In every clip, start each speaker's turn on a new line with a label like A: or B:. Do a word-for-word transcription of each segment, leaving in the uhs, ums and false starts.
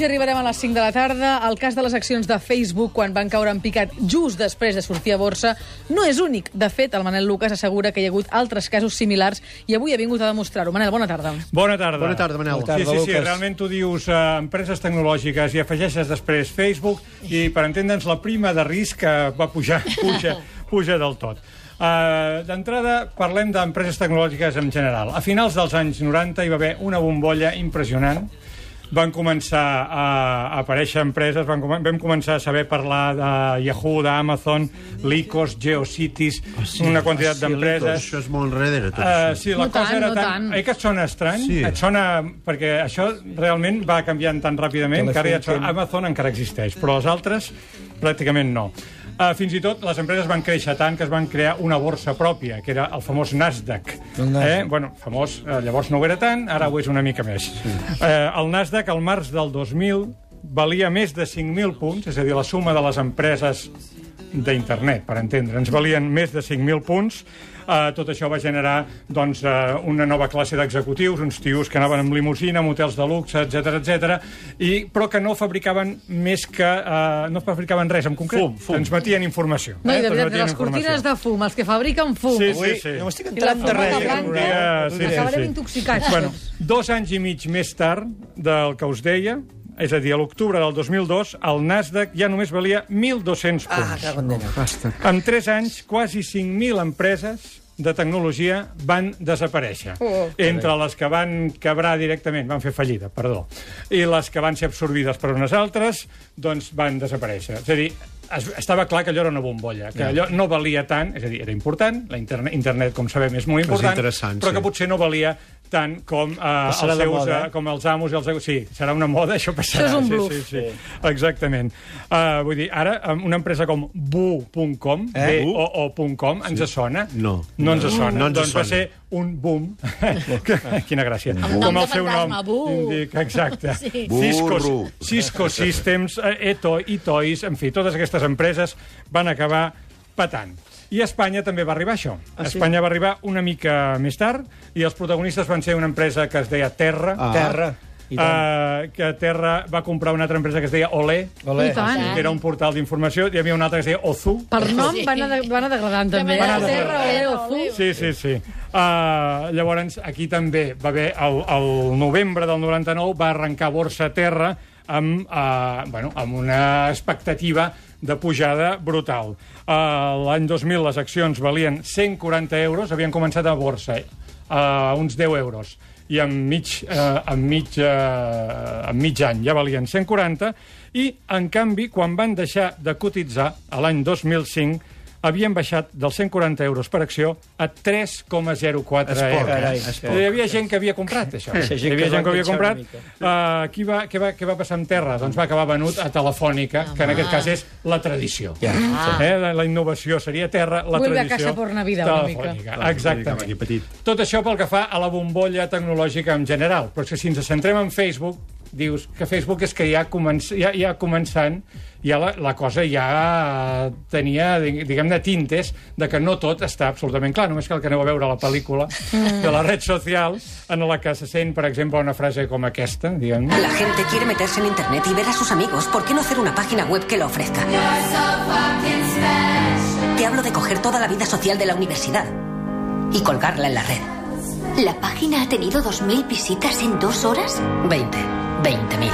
A: i arribarem a les cinc de la tarda. El cas de les accions de Facebook, quan van caure en picat just després de sortir a borsa, no és únic. De fet, el Manel Lucas assegura que hi ha hagut altres casos similars i avui ha vingut a demostrar-ho. Manel, bona tarda.
B: Bona tarda.
C: Bona tarda, Manel.
B: Sí, sí, sí, realment tu dius eh, empreses tecnològiques i afegeixes després Facebook i, per entendre'ns, la prima de risc que va pujar, puja, puja del tot. Uh, D'entrada, parlem d'empreses tecnològiques en general. A finals dels anys noranta hi va haver una bombolla impressionant. Van començar a aparèixer empreses, van com vam començar a saber parlar de Yahoo, d'Amazon, Lycos, GeoCities, oh, sí, una quantitat oh, sí, d'empreses.
C: Això és molt enrere, tot
B: uh,
C: això.
B: Sí, la
A: no
B: cosa
A: tant,
B: era
A: no
B: tan...
A: tant.
B: Eh que et sona estrany?
C: Sí.
B: Et sona... Perquè això realment va canviant tan ràpidament que ara ja et sona... Amazon encara existeix, però les altres pràcticament no. Uh, fins i tot les empreses van créixer tant que es van crear una borsa pròpia, que era el famós Nasdaq. El Nasdaq. Eh? Bueno, famós, eh, llavors no ho era tant, ara ho és una mica més. Sí. Eh, el Nasdaq, al març del dos mil, valia més de cinc mil punts, és a dir, la suma de les empreses d'internet, per entendre. Ens valien més de cinc mil punts. Uh, tot això va generar doncs, uh, una nova classe d'executius, uns tios que anaven amb limusina, amb hotels de luxe, etcètera, etcètera, i però que no fabricaven més que... Uh, no fabricaven res en concret.
C: Fum, fum.
B: Transmetien informació.
A: No, i de
B: eh?
A: veritat, les cortines de fum, els que fabriquen fum.
B: Sí, sí, sí.
C: No m'estic
A: I la
C: entrant de res.
A: fumada blanca.
B: Sí, sí,
A: Acabarem
B: sí.
A: intoxicats.
B: Bueno, dos anys i mig més tard del que us deia, és a dir, a l'octubre del dos mil dos, el Nasdaq ja només valia mil dos-cents punts.
C: Ah,
B: En tres anys, quasi cinc mil empreses de tecnologia van desaparèixer.
A: Oh.
B: Entre les que van quebrar directament, van fer fallida, perdó, i les que van ser absorbides per unes altres, doncs van desaparèixer. És a dir, es, estava clar que allò era una bombolla, que allò no valia tant, és a dir, era important, la internet, internet com sabem, és molt important, però que
C: sí.
B: potser no valia tant com, eh, els seus, moda, eh? com els amos i els... Sí, serà una moda, això passarà.
A: Això és un bluff.
B: Sí, sí, sí. Exactament. Uh, vull dir, ara, una empresa com bu punt com, eh? B O O punt com, ens sí. sona?
C: No.
B: No ens sona.
C: No ens
B: doncs
C: sona.
B: va ser un boom. Quina gràcia.
D: Amb
B: com
D: nom
B: el
D: de
B: seu nom.
D: fantasma, bu.
B: Indica, exacte.
D: Sí.
B: Cisco,
C: Burro.
B: Cisco Systems, Eto, Itois, en fi, totes aquestes empreses van acabar patant. I a Espanya també va arribar això.
C: Ah, sí?
B: Espanya va arribar una mica més tard i els protagonistes van ser una empresa que es deia Terra.
C: Ah.
E: Terra.
B: Uh, que Terra va comprar una altra empresa que es deia Olé,
E: Olé.
A: I tant.
B: que era un portal d'informació. Hi havia una altra que es deia Ozu.
A: Per nom
D: Sí.
A: van, anar, van anar degradant, també.
D: Van
B: anar
A: Terra,
D: degradant.
A: Olé, Ozu.
B: Sí, sí, sí. Uh, llavors, aquí també va haver, el, el novembre del noranta-nou, va arrencar Borsa Terra amb, uh, bueno, amb una expectativa de pujada brutal. Uh, L'any dos mil les accions valien cent quaranta euros, havien començat a borsa a uh, uns deu euros, i en mig, uh, en, mig, uh, en mig any ja valien cent quaranta, i, en canvi, quan van deixar de cotitzar, a l'any dos mil cinc, havien baixat dels cent quaranta euros per acció a tres coma zero quatre euros.
E: carai,
B: Hi havia gent que havia comprat, això.
E: Sí,
B: Hi havia gent que havia
E: va
B: comprat.
E: enganxar
B: Uh, qui va, què, va, què va passar amb Terra? Doncs va acabar venut a Telefònica, que en aquest cas és la tradició.
E: Ja.
B: Eh? La, la innovació seria Terra, la
A: Vuelve a
B: tradició
A: casa por Navidad, una mica.
B: telefònica. Exactament.
C: Aquí petit.
B: Tot això pel que fa a la bombolla tecnològica en general. Però és que si ens centrem en Facebook, dius que Facebook és que ja, començ, ja, ja començant, ja la, la cosa ja tenia, diguem-ne, tintes de que no tot està absolutament clar. Només cal que aneu a veure la pel·lícula de la red social en la que se sent, per exemple, una frase com aquesta, diguem-ne.
F: La gente quiere meterse en internet y ver a sus amigos. ¿Por qué no hacer una página web que lo ofrezca? Te hablo de coger toda la vida social de la universidad y colgarla en la red.
D: ¿La página ha tenido dos mil visitas en dos horas?
F: Veinte. Veinte mil.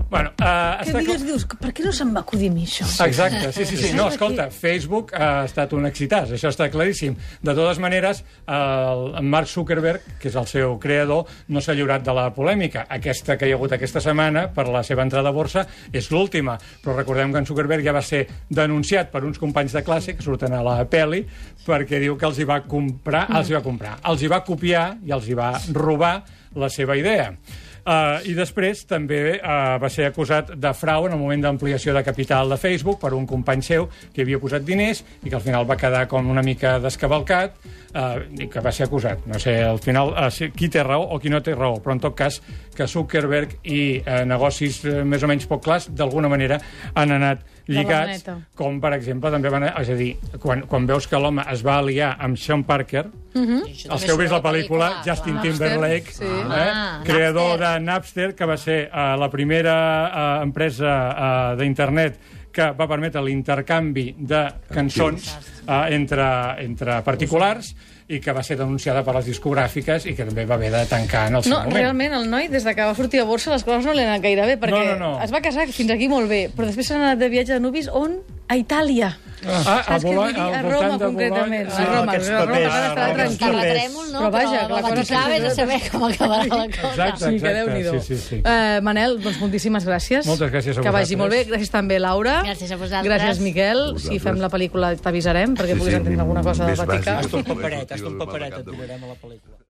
B: Bueno, uh,
A: Que digues, dius, per què no se'm va acudir a mi això?
B: Exacte, sí, sí, sí. No, escolta, Facebook ha estat un excitàs, això està claríssim. De totes maneres, el, en Mark Zuckerberg, que és el seu creador, no s'ha lliurat de la polèmica. Aquesta que hi ha hagut aquesta setmana per la seva entrada a borsa és l'última, però recordem que en Zuckerberg ja va ser denunciat per uns companys de classe que surten a la pel·li perquè diu que els hi va comprar, els hi va comprar, els hi va copiar i els hi va robar la seva idea. Uh, I després també uh, va ser acusat de frau en el moment d'ampliació de capital de Facebook per un company seu que havia posat diners i que al final va quedar com una mica descavalcat uh, i que va ser acusat. No sé, al final, uh, qui té raó o qui no té raó, però en tot cas que Zuckerberg i uh, negocis uh, més o menys poc clars d'alguna manera han anat lligats, com per exemple també van... És a dir, quan, quan veus que l'home es va aliar amb Sean Parker, Els que heu vist la pel·lícula, Justin Timberlake,
A: Sí.
B: eh?
C: Ah,
B: creador
C: Napster.
B: de Napster, que va ser eh, la primera eh, empresa eh, d'internet que va permetre l'intercanvi de cançons eh, entre, entre particulars i que va ser denunciada per les discogràfiques i que també va haver de tancar en el seu
A: No,
B: moment.
A: realment, el noi, des de que va sortir a borsa, les coses no li han anat gaire bé, perquè
B: No, no, no.
A: es va casar fins aquí molt bé, però després s'ha anat de viatge de nuvis, on? A Itàlia.
B: Ah, a
A: Saps què vull
B: Bolonya,
A: dir?
B: al
A: A
B: voltant
A: Roma,
B: de
A: concretament.
B: Bolonya.
A: A Roma,
E: aquests
A: a Roma,
E: papers,
A: ara estarà
E: aquests
A: tranquil.
E: papers.
C: Terratrèmol, no?
A: Però vaja,
C: Però
A: que la cosa
C: Vaticà, vés a saber com acabarà la cosa.
B: Exacte,
A: Sí, que
B: exacte.
A: Déu-n'hi-do.
B: Sí, sí, sí.
A: Eh, Manel, doncs moltíssimes gràcies.
B: Moltes gràcies a
A: Que vagi
B: vosaltres.
A: molt bé. Gràcies també, Laura.
C: Gràcies a vosaltres.
A: Gràcies, Miquel. Si fem la pel·lícula t'avisarem, perquè
G: Sí,
A: puguis
G: sí,
A: entendre alguna cosa del
G: més
A: Vaticà.
G: bàsic.
E: Hasta un paperet, hasta un paperet et donarem a la pel·lícula.